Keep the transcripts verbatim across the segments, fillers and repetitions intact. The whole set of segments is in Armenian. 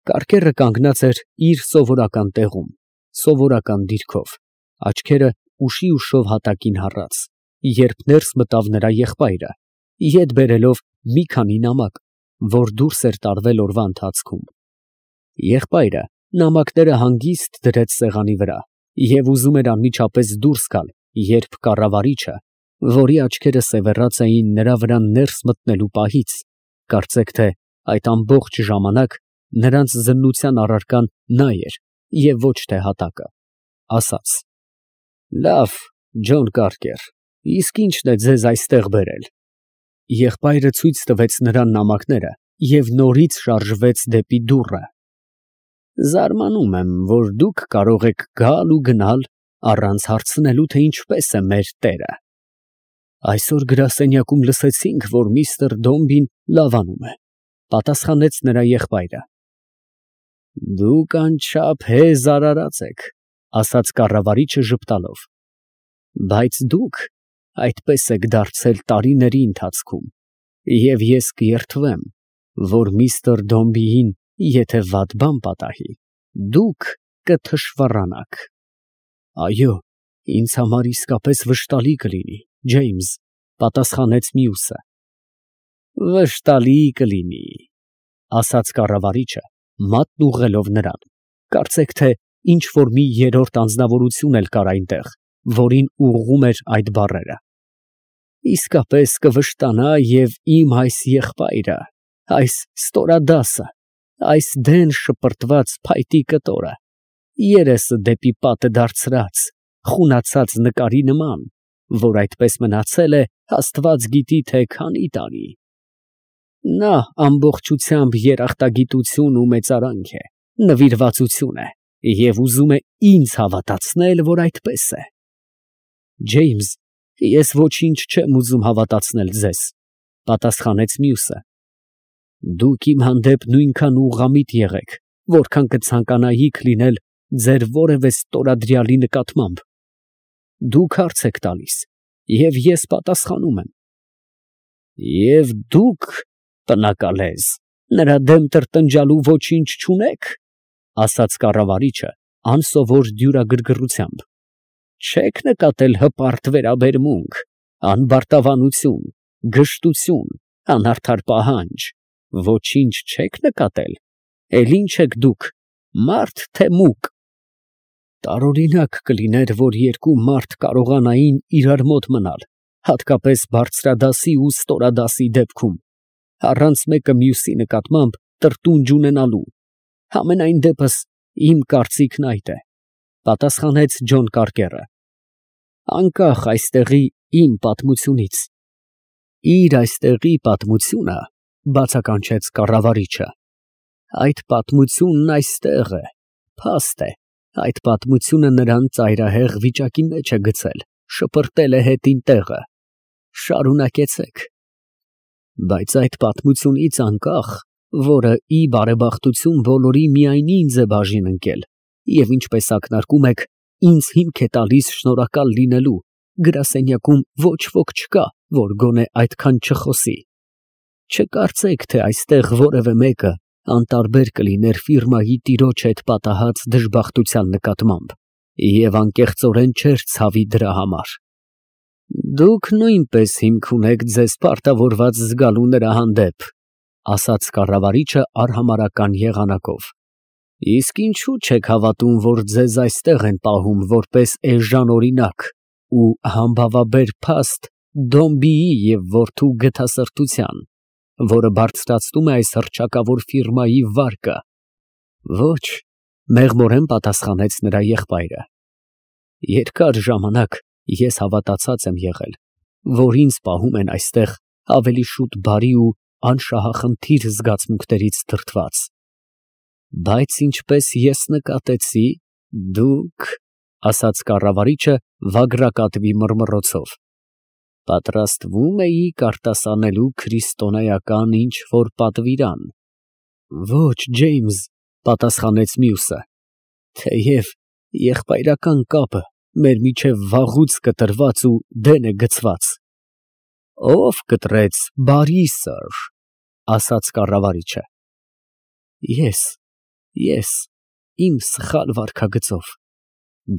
Կարկերը կանգնած էր իր սովորական տեղում, սովորական դիրքով, աչքերը ուշի ուշով հատակին հառած, երբ ներս մտավ նրա եղբայրը, ետ բերելով մի քանի նամակ, որ դուրս էր տարվել օրվա ընթացքում։ Եղբայրը նամակները հանգիստ դրեց սեղանի վրա և ուզում էր անմիջապես դուրս գալ, երբ կառավարիչը, որի աչքերը սևեռած էին նրա վրա ներս մտնելու պահից, կարծեք թե այդ ամբողջ ժամանակ նրանց զննության առարկան նա էր և ոչ թե հատակը, ասաց. «Լավ, Ջոն Կարկեր, իսկ ի՞նչն է ձեզ այստեղ բերել»։ Եղբայրը ցույց տվեց նրան նամակները և նորից շարժվեց դեպի դուռը։ «Զարմանում եմ, որ դուք կարող եք գալ ու գնալ առանց հարցնելու, թե ինչպես է մեր տերը։ Այսօր գրասենյակում լսեցինք, որ միստր Դոմբին լավանում է», պատասխանեց նրա եղբայրը։ «Դուք անչափ հեզ արարած եք», ասաց կառավարիչը ժպտալով, «բայց դուք այդպես եք դարձել տարիների ընթացքում, և ես կերդվեմ, որ միստր Դոմբիին եթե վատ բան պատահի, դուք կթշվառանաք»։ «Այո, ինձ համար իսկապես վշտալի կլինի, Ջեյմս», պատասխանեց մյուսը։ «Վշտալի կլինի», ասաց կառավարիչը, մատն ուղղելով նրան, կարծեք թե ինչ որ մի երրորդ անձնավորություն էլ կար այնտեղ, որին ուղղում էր այդ բառերը։ «Իսկապես կվշտանա և իմ այս եղբայրը, այս ստորադասը, այս դեն շպրտված փայտի կտորը, երեսը դեպի պատը դարձրած, խունացած նկարի նման, որ այդպես մնացել է աստված գիտի թե քանի տարի։ Նա ամբողջությամբ երախտագիտություն ու մեծարանք է, նվիրվածություն է և ուզում է ինձ հավատացնել, որ այդպես է»։ «Ջեյմս, ես ոչինչ չեմ ուզում հավատացնել ձեզ», պատասխանեց մյուսը։ «Դուք իմ հանդեպ նույնքան ուղղամիտ եղեք, որքան կցանկանայիք լինել ձեր որևէ ստորադրյալի նկատմամբ։ Դուք հարց եք տալիս, և ես պատասխանում եմ։ Եվ դուք, պնակալեզ, նրա դեմ տրտնջալու ոչինչ չունեք, ասաց կառավարիչը անսովոր դյուրագրգռությամբ։ Չեք նկատել հպարտ վերաբերմունք, անբարտավանություն, գժտություն, անարդար պահանջ, ոչինչ չեք նկատել, էլ ի՞նչ եք դուք, մարդ թե մուկ։ Տարօրինակ կլիներ, որ երկու մարդ կարողանային իրար մոտ մնալ, հատկապես բարձրադասի ու ստորադասի դեպքում, առանց մեկը մյուսի նկատմամբ տրտունջ ունենալու, համենայն դեպս իմ կարծիքն այդ է, պատասխանեց Ջոն Կարկերը, անկախ այստեղի իմ պատմությունից։ Իր այստեղի պատմությունը, բացականչեց կառավարիչը, այդ պատմությունն այստեղ է, փաստ է, այդ պատմությունը նրան ծայրահեղ վիճակի մեջ է գցել, շպրտել է հետին տեղը, շարունակեցեք։ Բայց այդ պատմությունից անկախ, որը ի բարեբախտություն բոլորի միայն ինձ է բաժին ընկել, և ինչպես ակնարկում եք, ինձ հիմք է տալիս շնորհակալ լինելու, գրասենյակում ոչ ոք չկա, որ գոնե այդքան չխոսի։ Չկարծեք, թե այստեղ որևէ մեկը անտարբեր կլիներ ֆիրմայի տիրոջ հետ պատահած դժբախտության նկատմամբ և անկեղծորեն չէր ցավի դրա համար։ Դուք նույնպես հիմք ունեք ձեզ պարտավորված զգալու նրա հանդեպ, ասաց կառավարիչը արհամարհական եղանակով։ Իսկ ինչու չեք հավատում, որ ձեզ այստեղ են պահում որպես էժան օրինակ ու համբավաբեր փաստ Դոմբիի և որդու գթասրտության, որը բարձրացնում է այս հռչակավոր ֆիրմայի վարկը։ Ոչ, մեղմորեն պատասխանեց նրա եղբայրը։ Երկար ժամանակ ես հավատացած եմ եղել, որ ինձ պահում են այստեղ ավելի շուտ բարի ու անշահախնդիր զգացմունքներից դրդված։ Բայց ինչպես ես նկատեցի, դուք, ասաց կառավարիչը վագրակատվի մռմռոցով, պատրաստվում էիք արտասանելու քրիստոնեական ինչ֊որ պատվիրան։ Ոչ, Ջեյմս, պատասխանեց մյուսը, թեև եղբայրական կապը մեր միջև վաղուց կտրված ու դեն է գցված։ Ո՞վ կտրեց, բարի սըր, ասաց կառավարիչը։ Ես, Ես իմ սխալ վարքագծով։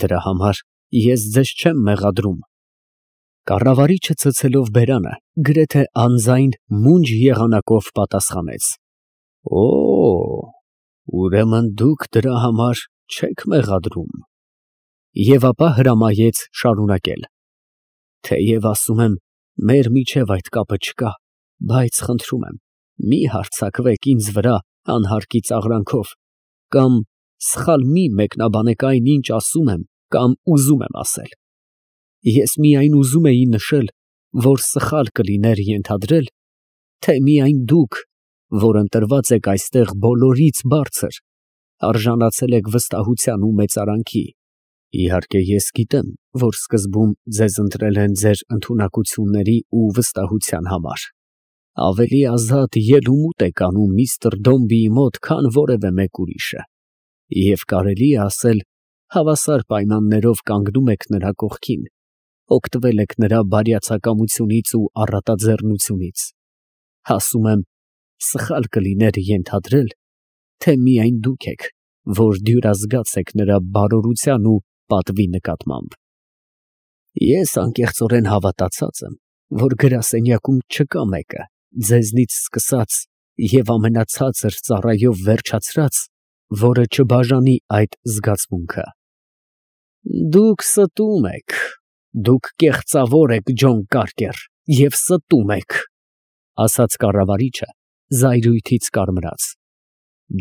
Դրա համար ես ձեզ չեմ մեղադրում։ Կառավարիչը ցցելով բերանը, գրեթե անձայն մունջ եղանակով պատասխանեց. Օ, ուրեմն դուք դրա համար չեք մեղադրում։ Եվ ապա հրամայեց շարունակել. Թեև ասում եմ, մեր միջև այդ կապը չկա, բայց խնդրում եմ, մի հարձակվեք ինձ վրա անհարկի ծաղրանքով, կամ սխալ մի մեկնաբանեք այն, ինչ ասում եմ, կամ ուզում եմ ասել։ Ես միայն ուզում էի նշել, որ սխալ կլիներ ենթադրել, թե միայն դուք, որ ընտրված եք այստեղ բոլորից բարձր, արժանացել եք վստահության ու մեծարանքի։ Իհարկե, ես գիտեմ, որ սկզբում ձեզ ընտրել են ձեր ընդունակությունների ու վստահության համար։ Ավելի ազատ ելումուտ եք անում միստր Դոմբիի մոտ, քան որևէ մեկ ուրիշը։ Եվ կարելի է ասել, հավասար պայմաններով կանգնում եք նրա կողքին, օգտվել եք նրա բարյացակամությունից ու առատաձեռնությունից։ Ասում եմ, սխալ կլիներ ենթադրել, թե միայն դուք եք, որ դյուրազգաց եք նրա բարօրության ու պատվի նկատմամբ։ Ես անկեղծորեն հավատացած եմ, որ գրասենյակում չկա մեկը, ձեզնից սկսած և ամենացածր ծառայով վերջացրած, որը չբաժանի այդ զգացմունքը։ Դուք ստում եք, դուք կեղծավոր եք, Ջոն Կարկեր, և ստում եք, ասաց կառավարիչը զայրույթից կարմրած։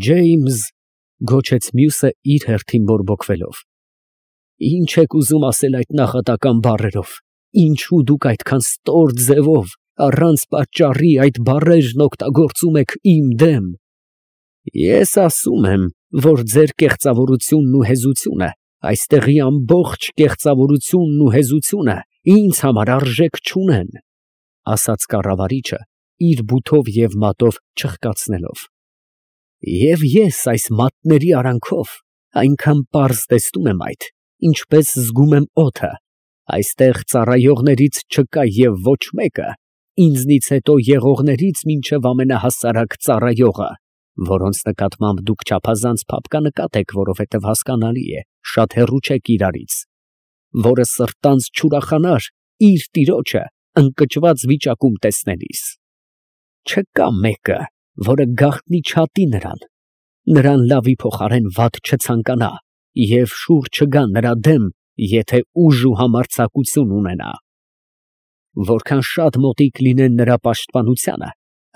Ջեյմս, գոչեց մյուսը իր հերթին բորբոքվելով, ինչ եք ուզում ասել այդ նախատական բառերով, ինչու դուք այդքան ստոր ձևով, առանց պատճառի այդ բառերն օգտագործում եք իմ դեմ։ Ես ասում եմ, որ ձեր կեղծավորությունն ու հեզությունը, այստեղի ամբողջ կեղծավորությունն ու հեզությունը ինձ համար արժեք չունեն, ասաց կառավարիչը իր բութով և մատով չխկացնելով։ Եվ ես այս մատների արանքով այնքան պարզ տեսնում եմ այդ, ինչպես զգում եմ օդը, այստեղ ծառայողներից չկա և ոչ մեկը, ինձնից հետո եղողներից մինչև ամենահասարակ ծառայողը, որոնց նկատմամբ դուք չափազանց փափկանկատ եք, որովհետև հասկանալի է, շատ հեռու չեք իրարից, որը սրտանց չուրախանար իր տիրոջը ընկճված վիճակում տեսնելիս։ Չկա մեկը, որը գաղտնի չատի նրան, նրան լավի փոխարեն վատ չցանկանա և շուռ չգա նրա դեմ, եթե ուժ ու համարձակություն ունենա։ Որքան շատ մոտիկ լինեն նրա պաշտպանությանը,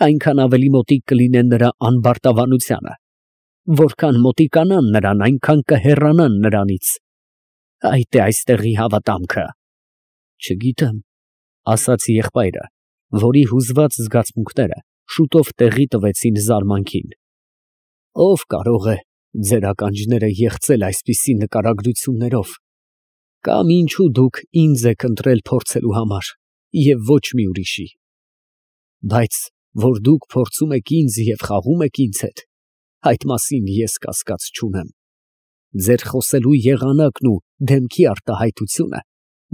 այնքան ավելի մոտիկ կլինեն նրա անբարտավանությանը, որքան մոտիկանան նրան, այնքան կհեռանան նրանից։ Այդ է այստեղի հավատամքը։ Չգիտեմ, ասաց եղբայրը, որի հուզված զգացմունքները շուտով տեղի տվեցին զարմանքին։ Ով կարող է ձեր ականջները եղծել այսպիսի նկարագրություններով, կամ ինչու դուք ինձ եք ընտրել փորձելու համար և ոչ մի ուրիշի։ Բայց որ դուք փորձում եք ինձ և խաղում եք ինձ հետ, այդ մասին ես կասկած չունեմ։ Ձեր խոսելու եղանակն ու դեմքի արտահայտությունը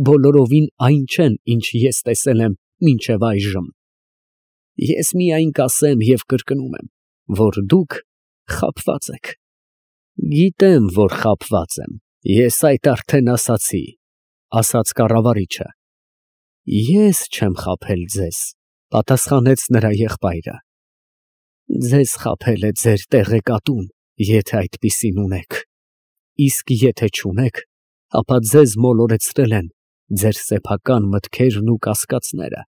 բոլորովին այն չեն, ինչ ես տեսել եմ մինչև այժմ։ Ես միայն կասեմ և կրկնում եմ, որ դուք խաբված եք։ Գիտեմ, որ խաբված եմ, ես այդ արդեն ասացի, ասաց կառավարիչը։ Ես չեմ խաբել ձեզ, պատասխանեց նրա եղբայրը։ Ձեզ խաբել է ձեր տեղեկատուն, եթե այդպիսին ունեք, իսկ եթե չունեք, ապա ձեզ մոլորեցրել են ձեր սեփական մտքերն ու կասկածները։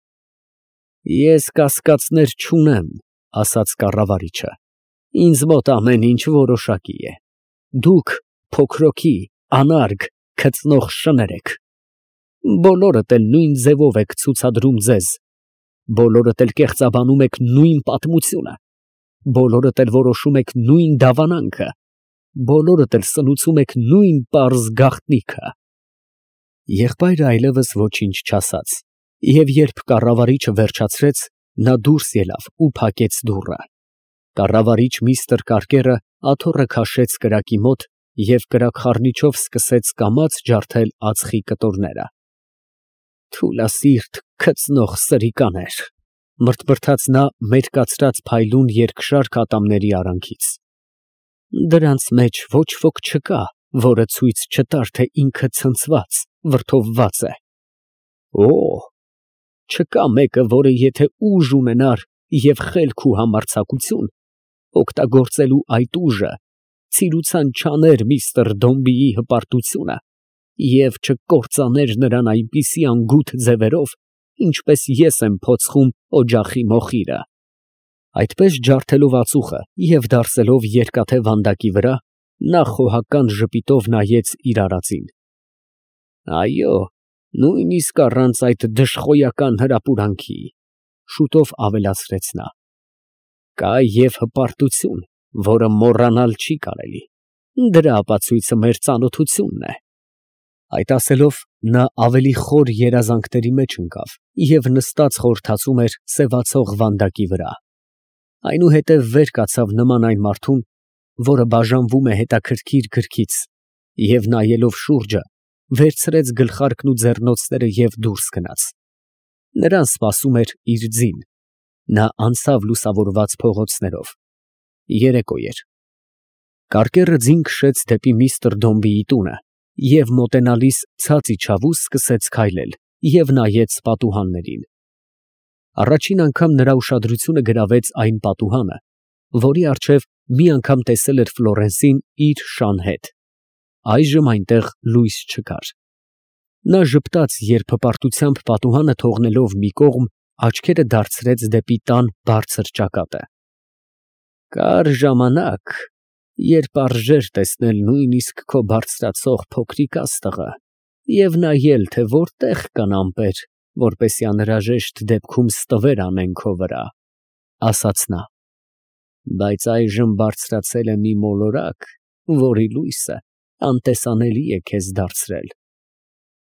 Ես կասկածներ չունեմ, ասաց կառավարիչը, ինձ մոտ ամեն ինչ որոշակի է։ Դուք փոքրոքի, անարգ, քծնող շներ եք։ Բոլորդ էլ նույն ձևով եք ցուցադրում ձեզ, բոլորդ էլ կեղծաբանում եք նույն պատմությունը, բոլորդ էլ որոշում եք նույն դավանանքը, բոլորդ էլ սնուցում եք նույն պարզ գաղտնիքը։ Եղբայրը այլևս ոչինչ չասաց, և երբ կառավարիչը վերջացրեց, նա դուրս ելավ ու փակեց դուռը։ Կառավարիչ միստր Կարկերը աթոռը քաշեց կրակի մոտ և կրակխառնիչով սկսեց կամաց ջարդել ածխի կտորները։ Թուլասիրտ քծնող սրիկաներ, մրթմրթաց նա մերկացրած փայլուն երկշարք ատամների արանքից։ Դրանց մեջ ոչ ոք չկա, որը ցույց չտար, թե ինքը ցնցված, վրդովված է։ Օ, չկա մեկը, որը եթե ուժ ունենար և խելք ու համարձակություն, օգտագործելու այդ ուժը ցիրուցան չաներ միստր Դոմբիի հպարտությունը և չկործաներ նրան այնպիսի անգութ ձևերով, ինչպես ես եմ փոցխում օջախի մոխիրը։ Այդպես ջարդելով ածուխը և դարսելով երկաթե վանդակի վրա, նա խոհական ժպիտով նայեց իր արածին։ Այո, նույնիսկ առանց այդ դժխոյական հրապուրանքի, շուտով ավելացրեց նա, կա և հպարտություն, որը մոռանալ չի կարելի, դրա ապացույցը մեր ծանոթությունն է։ Այդ ասելով, նա ավելի խոր երազանքների մեջ ընկավ և նստած խորհրդածում էր սևացող վանդակի վրա։ Այնուհետև վեր կացավ նման այն մարդուն, որը բաժանվում է հետաքրքիր գրքից, և նայելով շուրջը, վերցրեց գլխարկն ու ձեռնոցները և դուրս գնաց։ Նրան սպասում էր իր ձին։ Նա անցավ լուսավորված փողոցներով։ Երեկո էր։ Կարկեռը ձին քշեց դեպի միստր Դոմբիի տունը և մոտենալիս ցած իջավ ու սկսեց քայլել և նայեց պատուհաններին։ Առաջին անգամ նրա ուշադրությունը գրավեց այն պատուհանը, որի առջև մի անգամ տեսել էր Ֆլորենսին իր շան հետ։ Այժմ այնտեղ լույս չկար։ Նա ժպտաց, երբ հպարտությամբ պատուհանը թողնելով մի կողմ, աչքերը դարձրեց դեպի տան բարձր ճակատը։ Կար ժամանակ, երբ արժեր տեսնել նույնիսկ քո բարձրացող փոքրիկ աստղը և նայել, թե որտեղ կան ամպեր, որպեսզի անհրաժեշտ դեպքում ստվեր անեն քո վրա, ասաց նա, բայց այժմ բարձրացել է մի մոլորակ, որի լույսը անտեսանելի է քեզ դարձրել։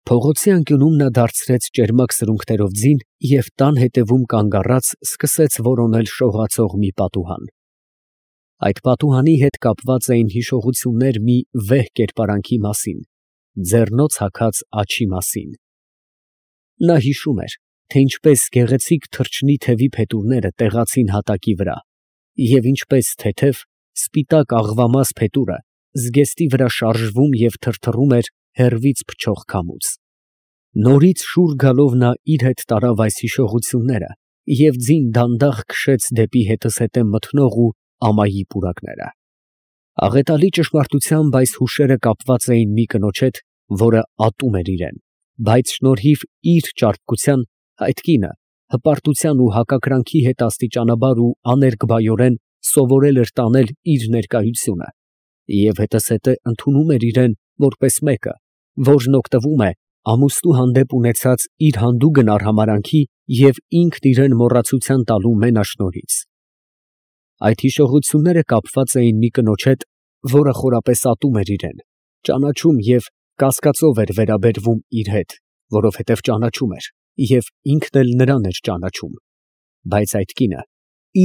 Փողոցի անկյունում նա դարձրեց ճերմակ սրունքներով ձին և տան հետևում կանգ առած սկսեց որոնել շողացող մի պատուհան։ Այդ պատուհանի հետ կապված էին հիշողություններ մի վեհ կերպարանքի մասին, ձեռնոց հագած աջի մասին։ Նա հիշում էր, թե ինչպես գեղեցիկ թռչնի թևի փետուրները տեղացին հատակի վրա, և ինչպես թեթև, սպիտակ աղվամաս փետուրը զգեստի վրա շարժվում և թրթռում էր հեռվից փչող քամուց։ Նորից շուռ գալով նա իր հետ տարավ այս հիշողությունները և ձին դանդաղ քշեց դեպի հետզհետե մթնող ու ամայի պուրակները։ Աղետալի ճշմարտությամբ այս հուշերը կապված էին մի կնոջ հետ, որը ատում էր իրան, բայց շնորհիվ իր ճարպկության այդ կինը հպարտության ու հակակրանքի հետ աստիճանաբար ու աներկբայորեն սովորել էր տանել իր ներկայությունը և հետզհետե ընդունում էր իրան որպես մեկը, որն օգտվում է ամուսնու հանդեպ ունեցած իր հանդուգն արհամարհանքի և ինքն իրան մոռացության տալու մենաշնորհից։ Այդ հիշողությունները կապված էին մի կնոջ հետ, որը խորապես ատում էր իրան, ճանաչում և կասկածով էր վերաբերվում իր հետ, որովհետև ճանաչում էր և ինքն էլ նրան էր ճանաչում, բայց այդ կինը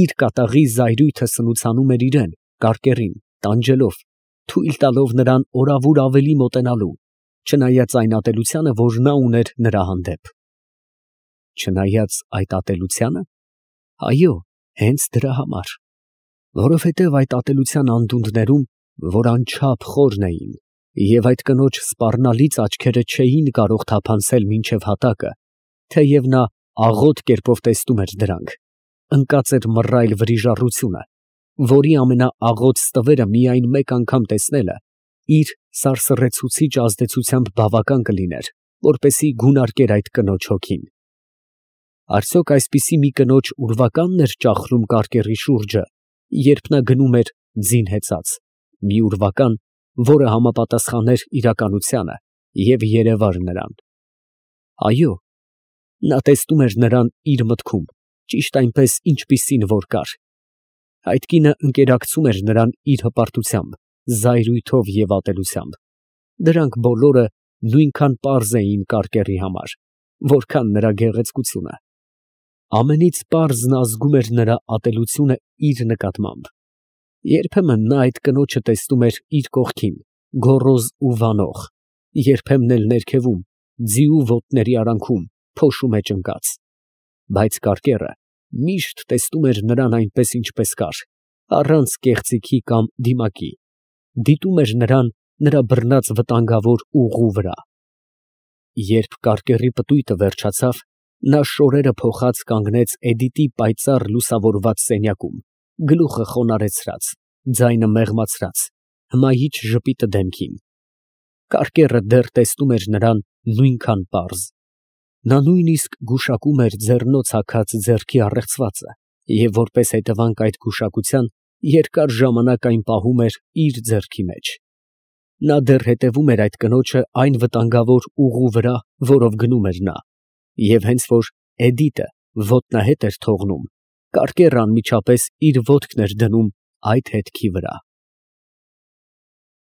իր կատաղի զայրույթը սնուցանում էր իրան, կարկեռին, տանջելով, թույլ տալով նրան օրավուր ավելի մոտենալու, չնայած այն ատելությանը, որ նա ուներ նրա հանդեպ։ Չնայած այդ ատելությանը։ Այո, հենց դրա համար, որովհետև այդ ատելության անդունդներում, որ անչափ խորն էին, և այդ կնոջ սպառնալից աչքերը չէին կարող թափանցել մինչև հատակը, թեև նա աղոտ կերպով տեսնում էր դրանք, ընկած էր մռայլ վրիժառությունը, որի ամենաաղոտ ստվերը միայն մեկ անգամ տեսնելը իր սարսռեցուցիչ ազդեցությամբ բավական կլիներ, որպեսզի գունարկեր այդ կնոջ հոգին։ Արդյոք այսպիսի մի կնոջ ուրվակա՞նն էր ճախրում կարկեռի շուրջը, երբ նա գնում էր ձին հեծած, մի ուրվական, որը համապատասխաներ իրականությանը և երևար նրան։ Այո, նա տեսնում էր նրան իր մտքում, ճիշտ այնպես, ինչպիսին որ կար։ Այդ կինը ընկերակցում էր նրան իր հպարտությամբ, զայրույթով և ատելությամբ։ Դրանք բոլորը նույնքան պարզ էին կարկեռի համար, որքան նրա գեղեցկությունը։ Ամենից պարզն ազգում էր նրա ատելությունը իր նկատմամբ։ Երբեմն նա այդ կնոջը տեսնում էր իր կողքին, գոռոզ ու վանող, երբեմն էլ ներքևում, ձիու ոտների արանքում, փոշու մեջ ընկած, բայց կարկեռը միշտ տեսնում էր նրան այնպես, ինչպես կար, առանց կեղծիքի կամ դիմակի, դիտում էր նրան նրա բռնած վտանգավոր ուղու վրա։ Երբ կարկեռի պտույտը վերջացավ, նա շորերը փոխած կանգնեց Էդիտի պայծառ լուսավորված սենյակում, գլուխը խոնարհեցրած, ձայնը մեղմացրած, հմայիչ ժպիտը դեմքին։ Կարկեռը դեռ տեսնում էր նրան նույնքան պարզ։ Նա նույնիսկ գուշակում էր ձեռնոց հագած ձեռքի առեղծվածը և որպես հետևանք այդ գուշակության երկար ժամանակ այն պահում էր իր ձեռքի մեջ։ Նա դեռ հետևում էր այդ կնոջը այն վտանգավոր ուղու վրա, որով գնում էր նա, և հենց որ Էդիտը ոտնահետ էր թողնում, կարկեռը անմիջապես իր ոտքն էր դնում այդ հետքի վրա։